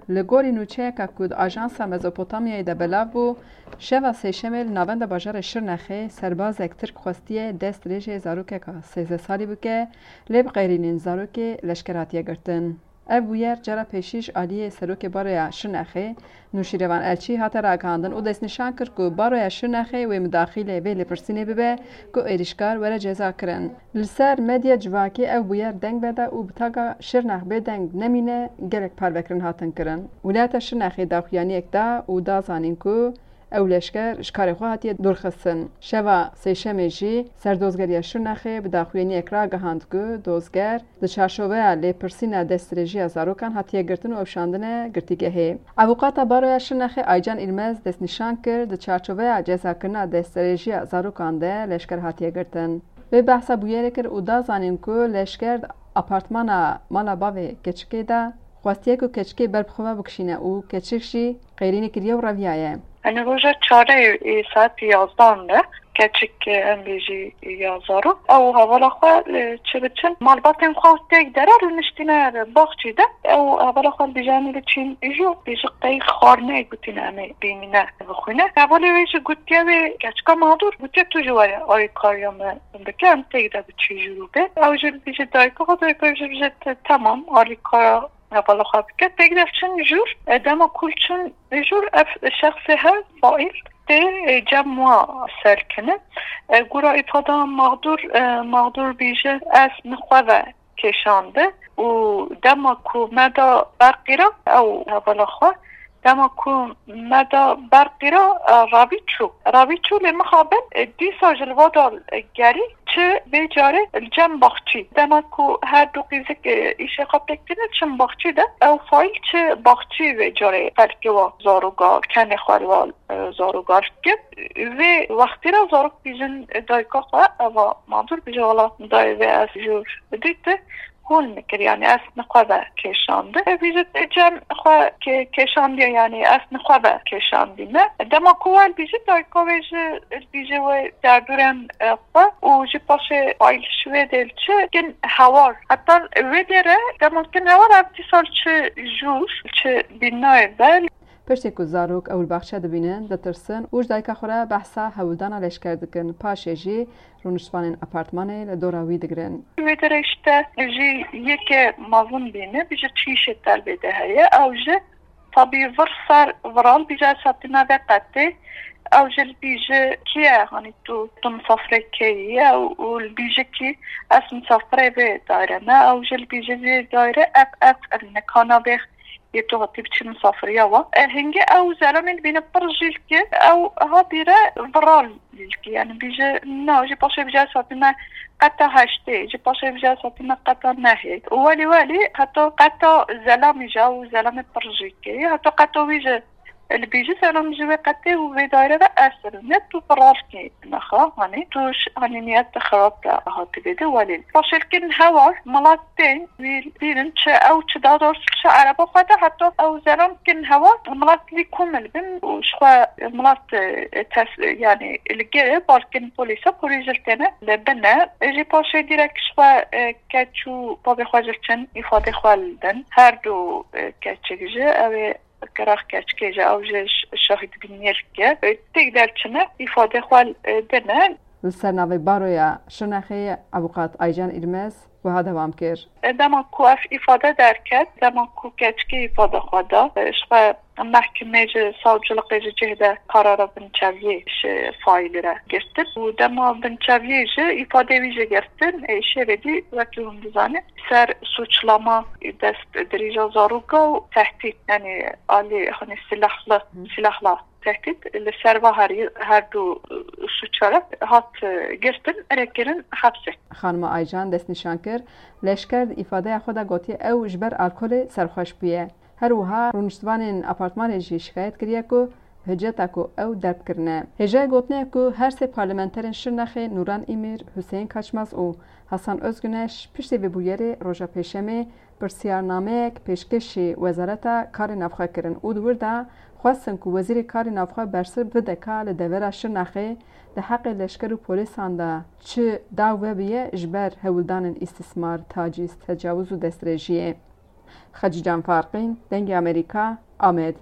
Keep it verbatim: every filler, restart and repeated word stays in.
Li gorî nûçeyeka ku di Ajansa Mezopotamyayê de belav bû, şeva Sêşemê li navenda bajarê Şirnexê serbazek Tirk xwestiye dest dirêjê zarokeka sêzdeh salî bike, lê bi qêrînên zarokê leşker hatiye girtin. Ev bûyer cara pêşî ji aliyê Serokê Baroya Şirnexê Nûşîrevan Elçî hate ragihandin û destnîşan kir ku Baroya Şirnexê wê midaxîlê vê lêpirsînê bibe ku êrîşkar were cezakirin. Li ser medya civakê ev bûyer deng veda û bi taga Şirnex bêdeng nemîne gelek parvekirin hatin kirin. Wîlayeta Şirnexê daxuyaniyek da û da zanîn ku ew leşker ji karê xwe hatiye dûrxistin. Şeva Sêşemê jî Serdozgeriya Şirnexê bi daxuyaniyek ragihand ku dozger di çarçoveya lêpirsîna destdirêjiya zarokan hatiye girtin û ewşandine girtîgehê. Avûkata Baroya Şirnexê Aycan Îlmez destnîşan kir, di çarçoveya cezakirina destdirêjiya zarokan de leşker hatiye girtin. Wê behsa bûyerê kir û da zanîn ku leşker di apartmana mala bavê keçikê de xwestiye ku keçikê ber bi xwe ve bikişîne û keçik jî qêrînê kiriye û reviyaye. Yanî roja çarê ê saetî yazdan de keçik, em bêjî ya zarok, ew hevala xwe, e, çi biçin, malbatên xwe têk dere rûniştîne baxçî de, ew hevala xwe dibêje em ê biçîn jû, bêjî qey xwarineyek gotîne em ê bînîne bixwîne. Hevalê wê jî gotiye wê keçika mexdûr, gotiye tu jî were alîkariya me bike, em têk de biçî jûr û bê. Ew jî dibêje dayika xwe, dayika jî dibêje te-, temam, alîkara hevala xwe bike. Têk de çin jûr, e, dema ku çin jûr ev şexsê hev faîl tê, e, cem wa serkine. E, gora îfada mexdûr, e, mexdûr bêje ez min xwe ve kêşande û dema ku me da berqî re ew hevala xwe, dema ku me da berqî re, e, ravî çû. Ravî çû lê mixabin, e, dîsa ji li va da, e, gerî çi vê carê li cem baxçî. Dema ku her du qîzik, e, îşê xwe pêk tîne çin baxçî de, ew faîl çi baxçî vê carê xelkê wa zaroga kenê xwe li wa, e, zaroga dike. Vê wextî re zarok bêjin dayika xwe, eva mexdûr bêje wela dayê vê ez jûr dîti. Hûn min kir, yanî ez nixwe ve kêşandi. Ev jî cem xwe kê-, kêşandiye, yanî ez nixwe ve kêşandî me. Dema ku wer bîjî dayika wê ji bîjê wê derdûrên, e, xwe û jî paşê faîl ji wê dê li çi kin hewar. Heta wê dê re dema kin hewar ev dîsa li çi jûr, çi bînayê ve. Piştî ku zarok ew li baxçe dibînin, ditirsin û ji dayika xwe re behsa hewldana leşker dikin. Paşê jî rûniştvanên apartmanê li dora wî digirin. Wê derê işte jî yeke mezin bîne, bîje çîşê terbê de heye. Ew ji tabî vir ser viral bîje ez hatime vê qetê. Ew ji li bîje kî ye, hanî tu, tu misafirê kê yî ye û, û li bîje kî ez misafirê vê daire me. Ew ji li bîje vê daire ev, ev, ev nikana vê yê tu hatî biçî misafiriya we. E, hingê ew zelamê dibîne pir jîlkî, ew ha bîre viral jîlkî. Yanî bîje, na, jî paşê bîje ez hatime qeta heştê, jî paşê bîje ez hatime qeta nehê. Welî welî heta qeta zelamî jî ew zelamê pir jîlkî. Heta qeta wî jî li bîje zelam ji wê qetê û vê daire ve ez ne tu viral kî. Nexa, hanî tu ş-, hanî niyet xirab te hatibê de welî. Paşê li kin hewar, milat tên, wî bînin çi ew çi da dor çi ereba xwe de, heta ew zeran kin hewar, milat lî komil bin û ji xwe milat, e, tes-, yanî li gê balkin polîsa, polîs jil têne li bine. Jî paşê dîrek ji xwe, e, keç û bavê xwe jil çin îfadê xwe li din. Her du, e, keçik ji ew ê Kirax keçikê ji ew ji ş-, şahidbîniyê dike. Têk derçine îfadê xwe, e, dine. Li ser navê Baroya Şirnexê Avûkat Aycan Îlmez wiha dewam kir. Dema ku ev îfade derket, dema ku keçikê îfade xwe da, ji xwe mehkimê ji savciliqê ji cih de karara binçaviyê ji faîlî re girtin û dema binçaviyê ji îfadê wî ji girtin, ê, şêvê dî wekî hûn dizanin, ser suçlama dest dirêja zaroka û tehdît, yanî alî, hani, silahlı, Hı. silahla tehdît li ser va herî, her du suça re hat, e, girtin, erê kirin hepsê. Xanima Aycan destnîşan kir, leşker di îfadeya xwe de gotiye ew ji ber alkolê serxweş bûye. Her wiha rûniştvanên apartmanê jî şikayet kiriye ku hiceta ku ew derb kirine. Hêjayê gotinê ye ku her sê parlamenterên Şirnexê Nûran Îmîr, Huseyîn Kaçmaz û Hasan Özgüneş piştî vê bûyerê roja Pêşemê pirsiyarnameyek pêşkêşî Wezareta Karê Navxwe kirin û di wir de xwestin ku Wezîrê Karê Navxwe bersiv bide ka li devera Şirnexê di heqê leşker û polîsan de çi daw vebiye ji ber hewldanên îstismar, tacîz, tecawuz û destdirêjiyê. Xecîcan Farqîn, Dengê Amerîka, Amed.